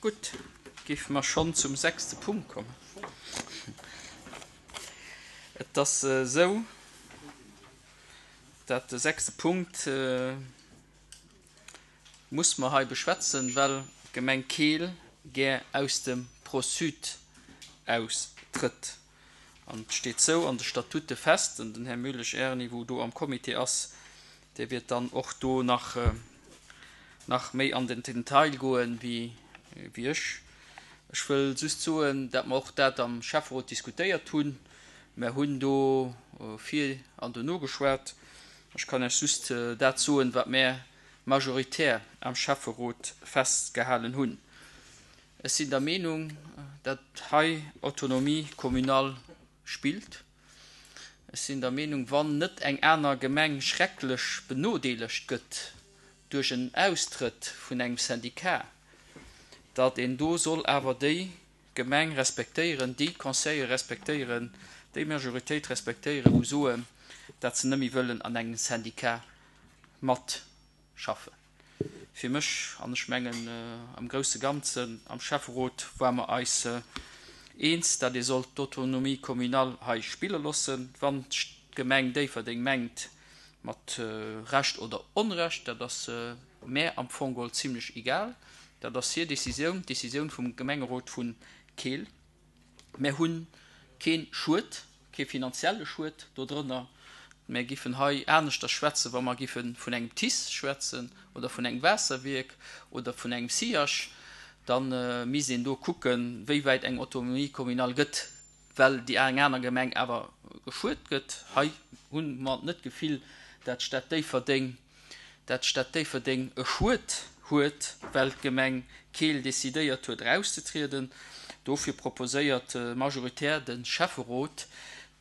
Gutt, géife mer schonn zum sechste Punkt kommen. Et ass esou, dat de sechste Punkt muss mer hei beschwätzen, well d'Gemeng Keel gär aus dem ProSud austrëtt. An et steet sou an de Statute fest, an den Här Mulisch Erny, wou do am Comité ass, dee wiert dann och do nach, nach méi an den Detail goen wéi, wéi ech. Ech wëll just soen, dat mer och dat am Schäfferot diskutéiert hunn. Mer hunn do vir an dono geschwat. Ech kann Iech just dat soen, wat mär majoritär am Schäfferot festgehalen hunn. Ech sinn der Meenung, datt hei Autonomie communale spillt. Ech sinn der Meenung, wann net eng aner Gemeng schrecklech benodeelegt gëtt duerch en Austrëtt vun engem Syndicat, datt een do soll awer déi Gemeng respektéieren, déi Conseillere respektéieren, déi Majoritéit respektéieren, wou soen, datt se net méi wëllen an engem Syndicat matschaffen. Fir mech, an ech mengen am grousse Ganzen am Schäfferot ware mer eis eens, datt ee sollt d'Autonomie communale hei spille loossen. Wann d'Gemeng Déifferdeng mengt, mat Recht oder Onrecht, dat ass mär am Fong geholl zimlech egal, dat ass hir Décisioun, d'Décisioun vum Gemengerot vu Keel. Mär hu kee Schued, kee finanzielle Schued dodrënner. Mär giffen hei aneschters schwätzen, wa mer giffe vun engem TICE schwätzen oder vun engem Waasserwierk oder vun engem SIAG. Da misst een do kucken, wéi wäit eng Autonomie communale gëtt, well déi eng aner Gemeng awer geschuet gëtt. Hei hu mer net d'Gefill, dat d'Stad Déifferdeng dat d'Stad Déifferdeng e Schued huet, well d'Gemeng Keel decidéiert huet erauszetrieden. Dofir proposéiert majoritär de Schäfferot,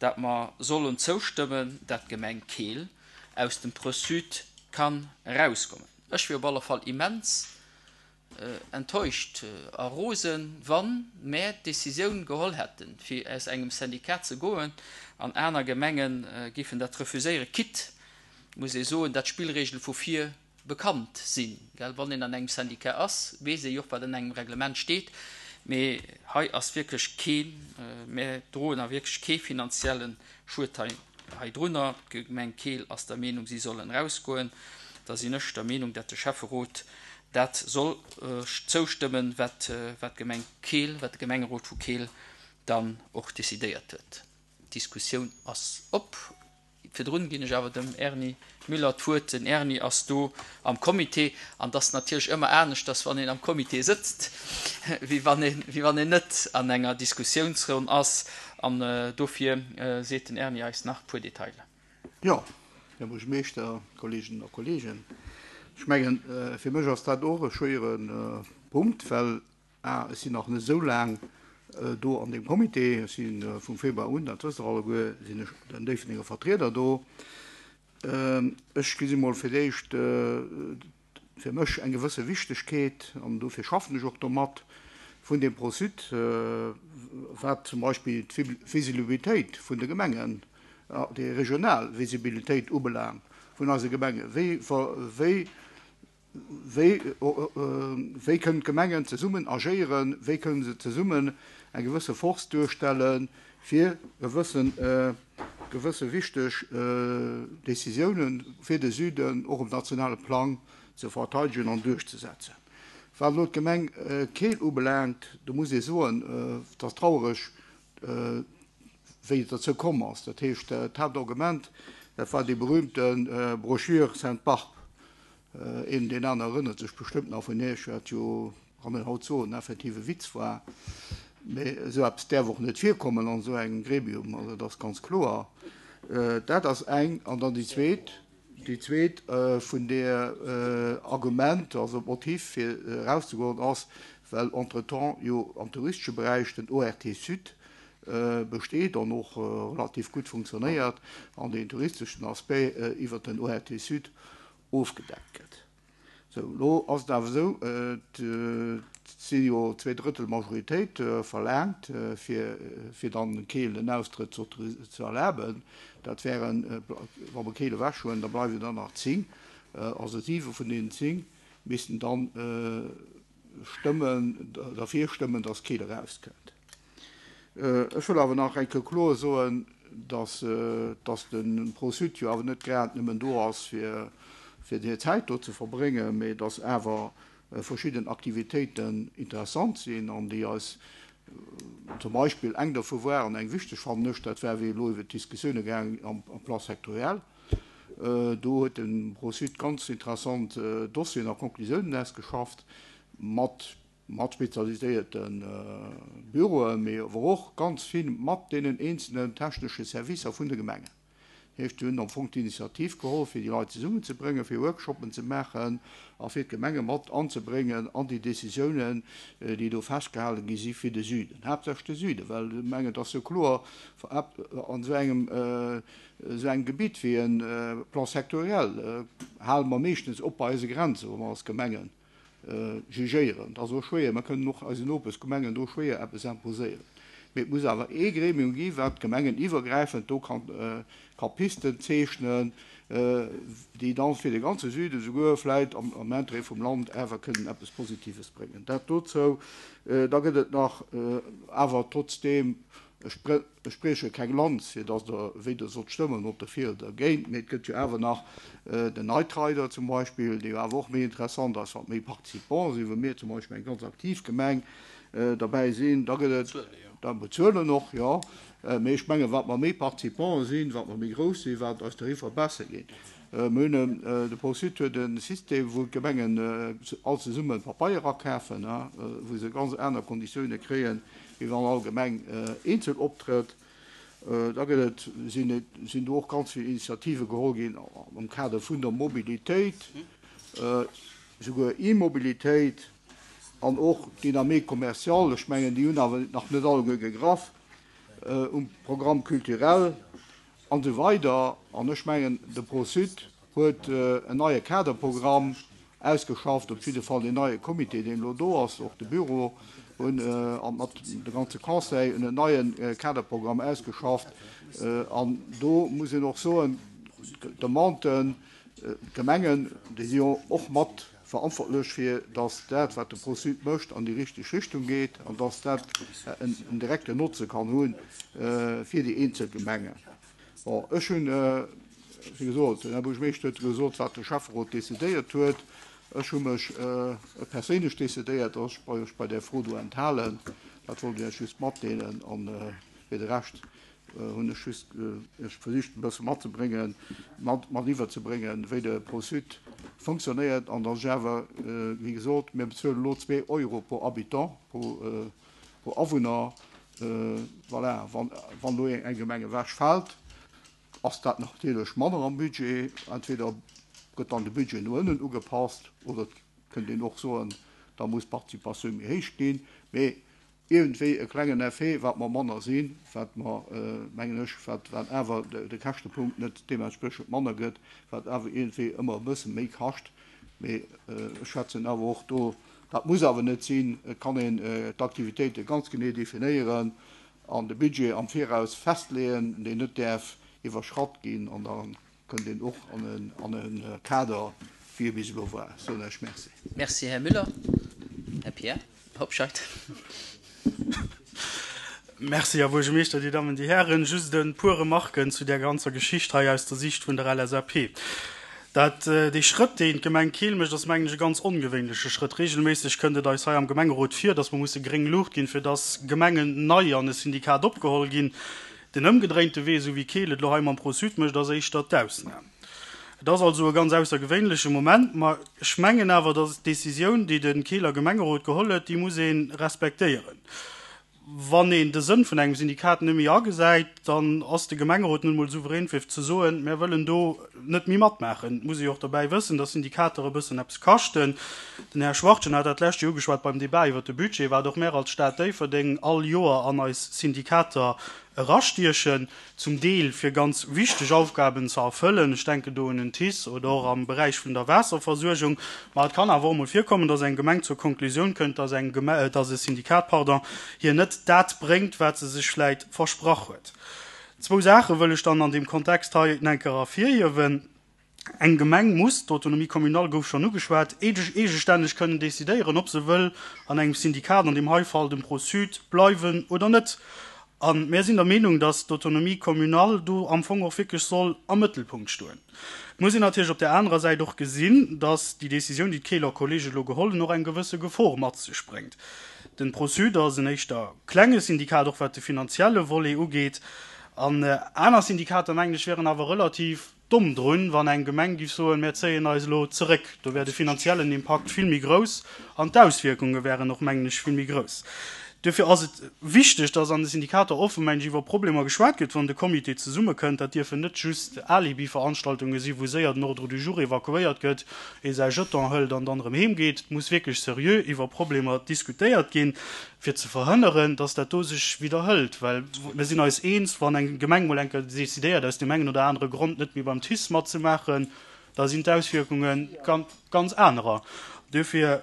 dat mer sollen zoustëmmen, dat d'Gemeng Keel aus dem PreSud kann erauskommen. Ech wier op alle Fall immens enttäuscht a rosen, wann mär d'Decisioun geholl hätten, fir aus engem Syndicat ze goen, an aner Gemenge giffen dat refuséieren, quitte, muss ee soen, dat d'Spillregele vu vir bekannt sinn. Well wann een an engem Syndicat ass, weess ee jo och, wat an engem Reglement steet. Mee hei ass wierklech keen, mär droen a wierklech kee finanzielle Schued hei heidrunner. D'Gemeng Keel ass der Meenung, si sollen erausgoen. Da sinn ech der Meenung, dat de Schäfferot dat soll zoustëmmen, wat d'Gemeng Keel, wat de Gemengerot vu Keel dann och decidéiert huet. D'Diskussioun ass op. Virdrun ginn ech awer dem Erny Müller d'Wuert. Den Erny ass do am Comité an et ass natierlech ëmmer aneschters, wann een am Comité sëtzt, wéi wann een, wéi wann een net an enger Diskussiounsronn ass. An dofir seet den Erny eis nach e puer Detailer. Jo, Här Buergermeeschter, Kolleeginnen a Kolleegen, ech mengen, fir mech ass dat och e schwéiere Punkt, well a ech sinn nach net esou laang do an deem Comité, ech si vum Februar un, dat wësst Der alleguer, sinn ech den Déifferdenger Vertrieder do. Ech gesi mol fir d'éischt fir mech eng gewësse Wichtegkeet, an dofir schaffen ech och domat, vun deem ProSud, wat zum Beispill d'Visibilitéit vun de Gemengen, déi regional Visibilitéit ubelaangt vun eise Gemengen. Wéi, wéi, wéi, wéi kënnen d'Gemengen zesummen agéieren, wéi kënnen se zesummen eng gewësse Force duerstellen, fir gewëssen, gewësse wichteg Décisiounen fir de Süden och um nationale Plang ze verteidegen an duerchzesetzen. Wat elo d'Gemeng Keel ubelaangt, do muss ee soen, et ass trauereg, wéi et derzou komm ass. Dat heescht, d'Haaptargument, dat war déi berühmte Brochure Sainte-Barbe. Een, deen aner erënnert sech bestëmmt nach vun Iech, wat jo, kann een haut soen, effektiv e Witz war. Mee esou eppes däerf och net virkommen an esou engem Gremium, also dat ass ganz kloer. Dat ass eng. An dann déi zweet, déi zweet vun där Argument, also Motiv fir erauszegoen, ass, well entretemps jo am touristesche Beräich den ORT Sud besteet an och relativ gutt funktionéiert an deen touristeschen Aspect iwwert den ORT Sud ofgedeckt gëtt. Sou, elo ass et awer esou, et si jo Zweedrëttel Majoritéit verlaangt, fir fir dann Keel den Austrëtt ze erlaben. Dat wären, wa mer Keel ewechhuelen, da bleiwen der nach 10, also siwe vun deenen 10 missten dann. stëmmen, derfir stëmmen, dass Keel erauskënnt. Ech wëll awer nach eng Kéier kloer soen, dass, dass de Pro-Sud jo awer net grad nëmmen do ass, fir, fir hir Zäit do ze verbréngen, mee dass awer verschidden Aktivitéiten interessant sinn an déi eis zum Beispill, eng dervu war, an eng wichteg fannen ech, dat war wéi elo iwwert d'Diskussioune gaangen am Plan sectoriel. Do huet de Pro-Sud ganz interessant Dossieren a Conclusiounen ausgeschafft mat mat spezialiséierte Büroen, mee awer och ganz vill mat deenen eenzelnen technesche Servicer vun de Gemengen. Dat heescht, si hunn am Fong d'Initiativ geholl, fir déi Leit zesummenzebréngen, fir Workshoppen ze maachen a fir d'Gemenge mat anzebréngen an déi Décisiounen, déi do festgehale gi si fir de Süden, haaptsächlech de Süden, well ech mengen, et ass jo kloer, an esou engem, esou engem Gebitt wéi e Plan sectoriel hale mer meeschtens op bei eise Grenzen, wou mer als Gemengen jugéieren. Dat ass och schwéier, mer kënnen och eisen Nopeschgemengen do schwéier eppes imposéieren. Mee et muss awer ee Gremium gi wat gemengeniwwergräifend do ka Pisten zeechnen, déi da fir de ganze Süden, souguer vläit am Intérêt vum Land awer kënnen eppes Positives bréngen. Dat dozou. Da gëtt et nach awer trotzdeem, Ech brieche keng Lanz, fir datt Der wéi Der sollt stëmmen, ob derfir oder dergéint, mee et gëtt jo awer nach den Night Rider zum Beispill, dee jo awer och méi interessant ass, wat méi Participants sinn, wou mir zum Beispill eng ganz aktiv Gemeng derbäi sinn. Da gëtt et, da bezuelen och, jo, mee ech mengen, wat mer méi Participants sinn, wat mer méi grouss sinn, wat eis Tariffer besser ginn. Mir hunn en, de Pro-Sud huet e System, wou d'Gemengen all zesumme Papeier akafen, wou se ganz aner Konditioune kréien, wéi wann all Gemeng eenzel optrëtt. Da gëtt et, sinn et, sinn do och ganz vill Initiative geholl ginn am Kader vun der Mobilitéit, souguer E-Mobilitéit an och Dynamique commerciale. Ech mengen, déi hunn awer nach net alleguer gegraff um Programme culturel. An esou weider. An ech mengen, de Pro-Sud huet en neie Kaderprogramm ausgeschafft, op jidde Fall deen neie Comité, deen elo do ass, och de Büro hunn a mat de ganze Conseil hunn en neie Kaderprogramm ausgeschafft. An do muss een och soen, d'Demanden, d'Gemengen, déi si jo och mat verantwortlech fir datt dat, wat de Pro-Sud mécht, an déi richteg Richtung geet an datt dat en direkten Notze kann hu fir déi eenzel Gemengen. Bon, ech hunn, wéi gesot, den Här Buergermeeschter huet gesot, wat de Schäfferot decidéiert huet. Ech hu mech perséinlech decidéiert, datt ech mech bei där Fro do enthalen. Dat wollt ech Iech just matdeelen. A fir de Rescht hunn ech just Iech versicht e bësse matzebréngen, mat mat iwwerzebréngen, wéi de Pro-Sud fonctionnéiert an datt ech awer, wéi gesot, mir bezuelen elo zwee Euro pro Habitant, pro pro Awunner. Voilà, wann wann elo eng Gemeng ewechfält, ass dat natierlech manner am Budget. Entweder gëtt dann de Budget no ënnen ugepasst oder et kënnt een och soen, da muss d'Participatioun méi héich ginn. Mee Iergendwéi e klengen Effet, wat mer manner sinn, wat mer, mengen ech, wat wat awer de Käschtepunkt net deementspriechend manner gëtt, wat awer iergendwéi ëmmer e bësse méi kascht. Mee ech schwätzen awer och do, dat muss awer net sinn, et kann een d'Aktivitéite ganz genee definéieren an de Budget am Viraus festleeën, deen net däerf iwwerschratt ginn an da kënnt een och an e Kader, wéi e bis elo war. Soen ech Merci. Merci, Här Müller. Här Pierre Hobscheit. Merci, Här Buergermeeschter, Dir Dammen, Dir Hären. Just e puer Remarken zu där ganzer Geschicht hei aus der Sicht vun der LSAP. Dat, dee Schrëtt, deen d'Gemeng Keel mécht, ass, mengen ech, e ganz ongewéinleche Schrëtt. Regelméisseg kënnt et eis hei am Gemengerot vir, dass mer musse gréng Luucht ginn, fir dass Gemengen nei an e Syndikat opgeholl ginn. Den ëmgedréinte Wee, esou wéi Keel et elo hei mam Pro-Sud mécht, ass éischter d'Ausnam. Et ass also e ganz aussergewéinleche Moment, ma ech mengen awer, datt d'Decisioun, déi de Keeler Gemengerot geholl huet, déi muss ee respektéieren. Wann een de Sënn vun engem Syndikat net méi agesäit, dann ass de Gemengerot nun emol souverän fir ze soen, mär wëllen do net méi matmaachen. Et muss ee jo och dobäi wëssen, datt Syndikater e bëssen eppes kaschten. Den Här Schwachtgen hat dat d'lescht Joer ugeschwat beim Débat iwwert de Budget, wat och mär als Stad Déifferdeng all Joer an eis Syndikater erastiechen, zum Deel fir ganz wichteg Aufgaben ze erfëllen, ech denken do un en TICE oder och am Beräich vun der Waasserversuergung. Ma et kann awer och emol virkommen, dass eng Gemeng zur Konklusioun kënnt, dass eng Geme-, dass e Syndikat, pardon, hir net dat bréngt, wat se sech vläit versprach huet. Zwou Saache wëll ech dann an deem Kontext hei enker ervirhiewen. Eng Gemeng muss, d'Autonomie communale gouf schonn ugeschwat, eegestänneg kënnen decidéieren, ob se wëll an engem Syndikat, an deem hei Fall dem Pro-Sud, bleiwen oder net. A mär sinn der Meenung, datt d'Autonomie communale do am Fong och wierklech soll am Mëttelpunkt stoen. Et muss een natierlech op där anerer Säit och gesinn, datt déi Décisioun, déi d'Keeler Kollege elo geholl hunn, och eng gewësse Gefor mat sech bréngt. Den Pro-Sud ass en éischter klenge Syndikat, och wat de finanzielle Volet ugeet. An aner Syndikater, mengen ech, wieren awer relativ Domm drun, wann eng Gemeng giff soen, mär zéien eis elo zeréck. Do wär de finanziellen Impakt vill méi grouss an d'Auswierkunge wären och, mengen ech, vill méi grouss. Duerfir ass et wichteg, dass an de Syndikater offen, mengen ech, iwwer Problemer geschwat gëtt, wann de Comité zesummekënnt. Dat dierfen net just Alibi-Veranstaltunge sinn, wou séier den Ordre du jour evakuéiert gëtt, ee säi Jeton hëlt an dann erëm heem geet. Et muss wierklech seriö iwwer Problemer diskutéiert ginn. fir ze verhënneren, dass dat do sech widderhëlt, well mir sinn eis eens, wann eng Gemeng mol eng Kéier decidéiert, aus deem engen oder anere Grond net méi beim TICE matzemaachen, da sinn d'Auswierkunge ganz anerer. Duerfir,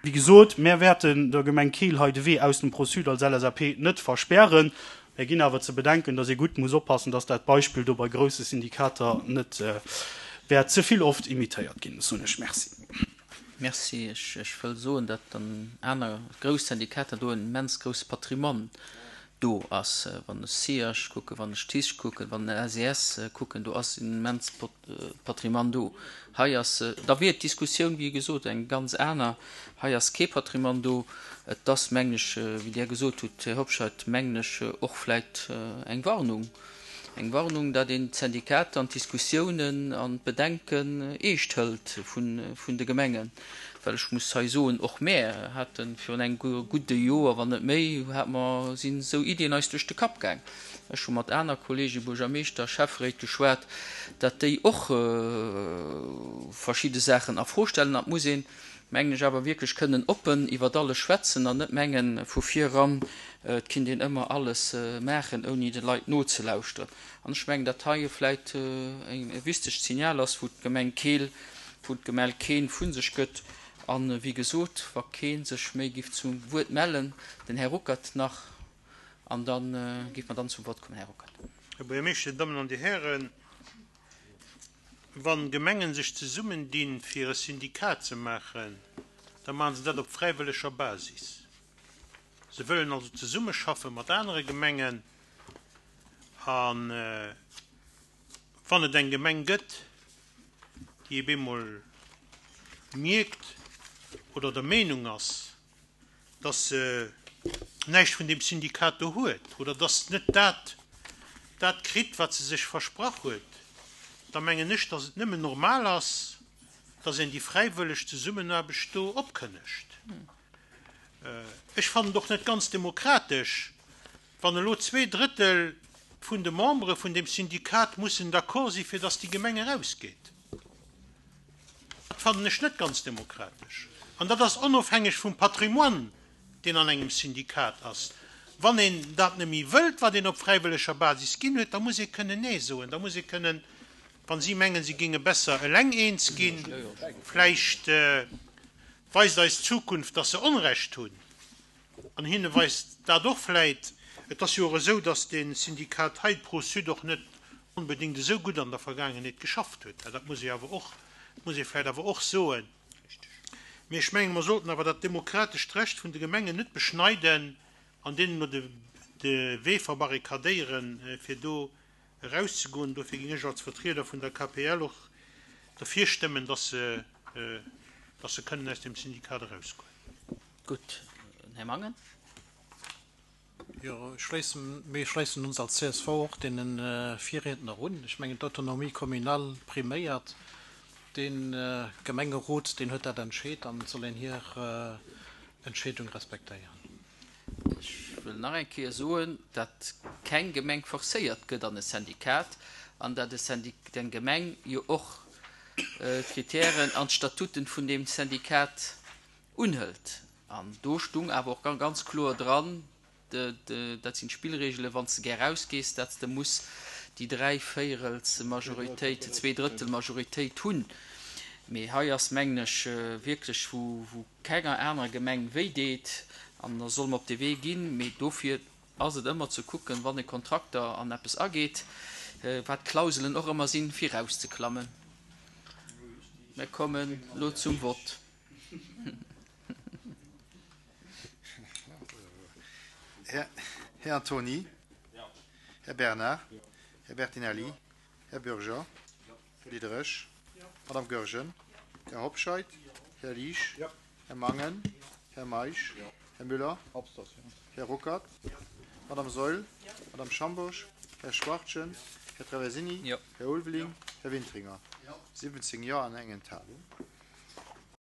wéi gesot, mär wäerten der Gemeng Keel hei de Wee aus dem Pro-Sud als LSAP net verspären. Mär ginn awer ze bedenken, dass ee gutt muss oppassen, dass dat Beispill do bei grousse Syndikater net wäert ze vill oft imitéiert ginn. Soen ech Merci. Merci. Ech wëll soen, datt an aner grouss Syndikater do en immens grousse Patrimoine do ass. Wann ech SIAS kucken, wann ech TICE kucken, wann ech SES kucken, do ass en immens Patrimoine do. Hei ass, da wier d'Diskussioun, wéi gesot, eng ganz aner. Hei ass kee Patrimoine do. Et ass, mengen ech, wéi Dir gesot hutt, Här Hobscheit, mengen ech, och vläicht eng Warnung. Eng Warnung, datt een d'Syndikater an d'Diskussiounen an d'Bedenken eescht hëlt vun de Gemengen. Well ech muss hei soen, och mär hate virun engem gudde Joer, wann net méi, hate mer, sinn esou Iddien eis duerch de Kapp gaang. Ech hu mat aner Kollege Buergermeeschter, Schäfferéit geschwat, datt déi och verschidde Saachen a Fro stellen. An et muss een, mengen ech, awer wierklech kënnen oppen iwwert alles schwätzen an net mengen, vu vir eran, et kinnt een ëmmer alles maachen, ouni de Leit nozelauschteren. An ech mengen, datt hei vläit e wichtegt Signal ass, wou d'Gemeng Keel, wou d'Gemell Keen vu sech gëtt. A wéi gesot, wa kee sech méi giff zum Wuert mellen, den Här Ruckert nach, an da géife mer dann zum Vott kommen. Här Ruckert. Här Buergermeeschter, Dir Dammen an Dir Hären, Wann Gemengen sech zesummen dinn fir e Syndikat ze maachen, da maachen se dat op fräiwëlleger Basis. Se wëllen also zesummeschaffe mat anere Gemengen a wann et eng Gemeng gëtt, déi eb eemol mierkt oder der Meenung ass, dass se näischt vun deem Syndikat do huet oder dass net dat dat kritt, wat se sech versprach huet, da mengen ech, dass et nëmmen normal ass, dass een déi fräiwëlleg Zesummenaarbecht do opkënnegt. Ech fannen et och net ganz demokratesch, wann elo zweedrëttel vun de Membere vun deem Syndikat mussen d'accord si fir dass déi Gemeng erausgeet. Dat fannen ech net ganz demokratesch. An dat ass onofhängeg vum Patrimoine, deen an engem Syndikat ass. Wann een dat net méi wëllt, wat een op fräiwëlleger Basis ginn huet, da muss ee kënnen Nee soen. Da muss ee kënnen, wa si mengen, si géinge besser eleng eens ginn, vläicht weist eis d'Zukunft, dass se Onrecht hunn, An hinne weist dat och vläit. Et ass jo och esou, dass dee Syndikat hei, d'Pro-Sud, och net onbedéngt esou gutt an der Vergaangenheet geschafft huet. Dat muss ee awer och, muss ee vläit awer och soen. Mee ech mengen, mer sollten awer dat demokratescht Recht vun de Gemengen net beschneiden an deenen elo de de Wee verbarrikadéieren, fir do erauszegoen. Dofir géing ech als Vertrieder vun der KPL och derfir stëmmen, dass se, dass se kënnen aus deem Syndikat erausgoen. Gutt, den Här Mangen. Jo, ech schléissen, mir schléissen ons als csv och deene Virriedner un. Ech mengen, d'Autonomie communale priméiert. De Gemengerot, deen huet dat entscheet an et soll een hir Entscheedung respektéieren. Ech wëll nach eng Kéier soen, datt keng Gemeng forcéiert gëtt an e Syndikat an datt e Syndic, eng Gemeng jo och d'Kritären an d'Statuten vun deem Syndikat Unhëlt. An do stung awer och ganz kloer dran, dat sinn d'Spillregelen, wann s de gär rausgees, dat s de muss déi Dräivéierelsmajoritéit, Zweedrëttelmajoritéit hunn. Mee hei ass, mengen ech, wierklech, wou kenger anerer Gemeng wéi deet, an da solle mer op dee Wee ginn. Mee dofir ass et ëmmer ze kucken, wann e Kontrakter an eppes ageet, wat d'Klauselen och ëmmer sinn, fir erauszeklammen. Mir kommen elo zum Vott. Här Antony. Här Bernard. Här Bertinelli. Här Bürger. Här Diderich. Madame Goergen. Här Hobscheit. Här Liesch. Här Mangen. Här Meisch. Här Müller. Här Ruckert. Madame Saeul. Madame Schambourg. Här Schwachtgen. Här Traversini. Här Ulveling. Här Wintringer. 17 Jo an eng Enthalung.